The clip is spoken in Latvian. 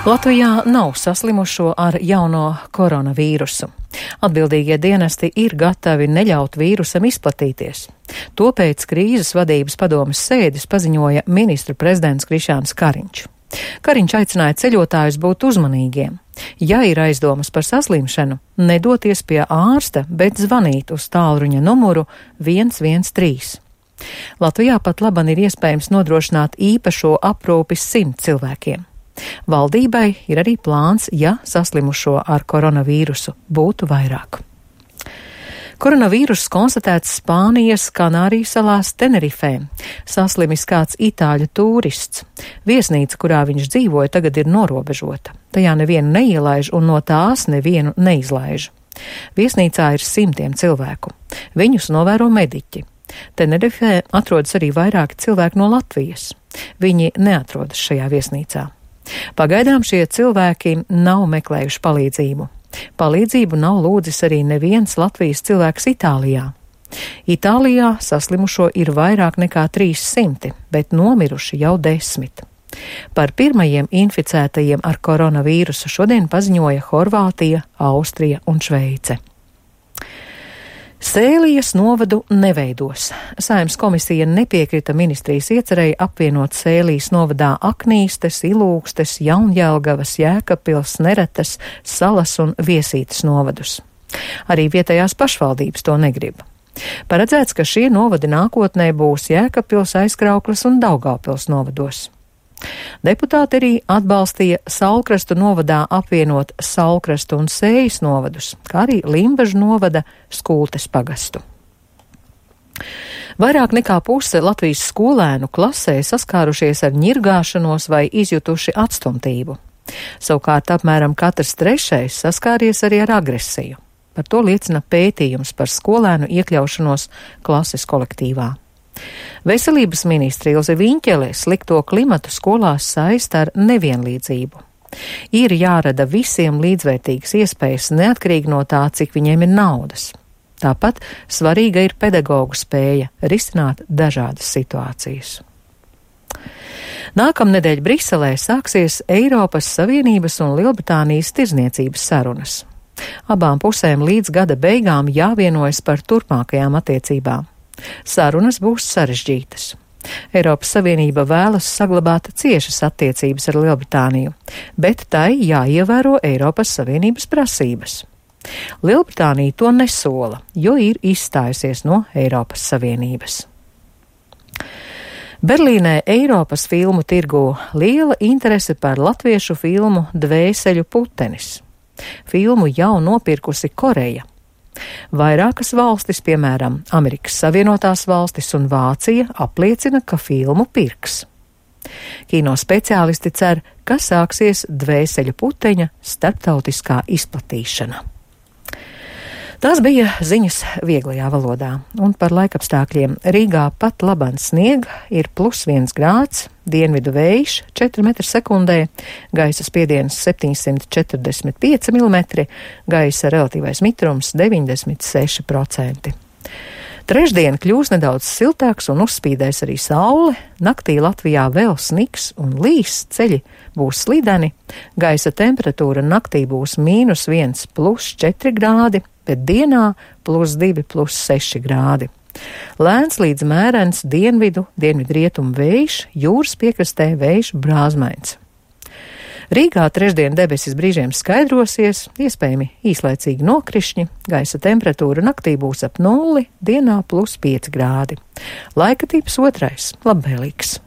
Latvijā nav saslimušo ar jauno koronavīrusu. Atbildīgie dienesti ir gatavi neļaut vīrusam izplatīties. To pēc krīzes vadības padomes sēdes paziņoja ministru prezidents Krišjāns Kariņš. Kariņš aicināja ceļotājus būt uzmanīgiem. Ja ir aizdomas par saslimšanu, nedoties pie ārsta, bet zvanīt uz tālruņa numuru 113. Latvijā pat laban ir iespējams nodrošināt īpašo aprūpi 100 cilvēkiem. Valdībai ir arī plāns, ja saslimušo ar koronavīrusu būtu vairāk. Koronavīruss konstatēts Spānijas Kanāriju salās Tenerifē. Saslimis kāds itāļu tūrists. Viesnīca, kurā viņš dzīvoja, tagad ir norobežota. Tajā nevienu neielaiž un no tās nevienu neizlaiž. Viesnīcā ir 100 cilvēku. Viņus novēro mediķi. Tenerifē atrodas arī vairāki cilvēki no Latvijas. Viņi neatrodas šajā viesnīcā. Pagaidām šie cilvēki nav meklējuši palīdzību. Palīdzību nav lūdzis arī neviens Latvijas cilvēks Itālijā. Itālijā saslimušo ir vairāk nekā 300, bet nomiruši jau 10. Par pirmajiem inficētajiem ar koronavīrusu šodien paziņoja Horvātija, Austrija un Šveice. Sēlijas novadu neveidos. Saeimas komisija nepiekrita ministrijas iecerēji apvienot Sēlijas novadā Aknīstes, Ilūgstes, Jaunjelgavas, Jēkabpils, Neretes, Salas un Viesītes novadus. Arī vietējās pašvaldības to negrib. Paredzēts, ka šie novadi nākotnē būs Jēkabpils, Aizkraukles un Daugavpils novados. Deputāti arī atbalstīja Saulkrastu novadā apvienot Saulkrastu un Sējas novadus, kā arī Limbažu novada Skultes pagastu. Vairāk nekā puse Latvijas skolēnu klasē saskārušies ar ņirgāšanos vai izjutuši atstumtību. Savukārt apmēram katrs trešais saskāries arī ar agresiju. Par to liecina pētījums par skolēnu iekļaušanos klases kolektīvā. Veselības ministre Ilze Viņķele slikto klimatu skolās saista ar nevienlīdzību. Ir jārada visiem līdzvērtīgas iespējas neatkarīgi no tā, cik viņiem ir naudas. Tāpat svarīga ir pedagogu spēja risināt dažādas situācijas. Nākamnedēļ Briselē sāksies Eiropas Savienības un Lielbritānijas tirzniecības sarunas. Abām pusēm līdz gada beigām jāvienojas par turpmākajām attiecībām. Sarunas būs sarežģītas. Eiropas Savienība vēlas saglabāt ciešas attiecības ar Lielbritāniju, bet tai jāievēro Eiropas Savienības prasības. Lielbritānija to nesola, jo ir izstājusies no Eiropas Savienības. Berlīnē Eiropas filmu tirgū liela interese par latviešu filmu Dvēseļu putenis. Filmu jau nopirkusi Koreja. Vairākas valstis, piemēram, Amerikas Savienotās valstis un Vācija, apliecina, ka filmu pirks. Kino speciālisti cer, ka sāksies Dvēseļu puteņa starptautiskā izplatīšana. Tās bija ziņas vieglajā valodā, un par laikapstākļiem Rīgā pat laban sniega, ir +1 grāds, dienvidu vējš 4 m/sekundē, gaisa spiediens 745 mm, gaisa relatīvais mitrums 96%. Trešdien kļūs nedaudz siltāks un uzspīdēs arī saule, naktī Latvijā vēl sniks un līs, ceļi būs slideni, gaisa temperatūra naktī būs -1 +4 grādi, bet dienā +2 +6 grādi. Lēns līdz mērens dienvidrietumu vējš, jūras piekrastē vējš brāzmains. Rīgā trešdien debesis brīžiem skaidrosies, iespējami īslaicīgi nokrišņi, gaisa temperatūra naktī būs ap 0, dienā +5 grādi. Laika tips 2, labvēlīgs.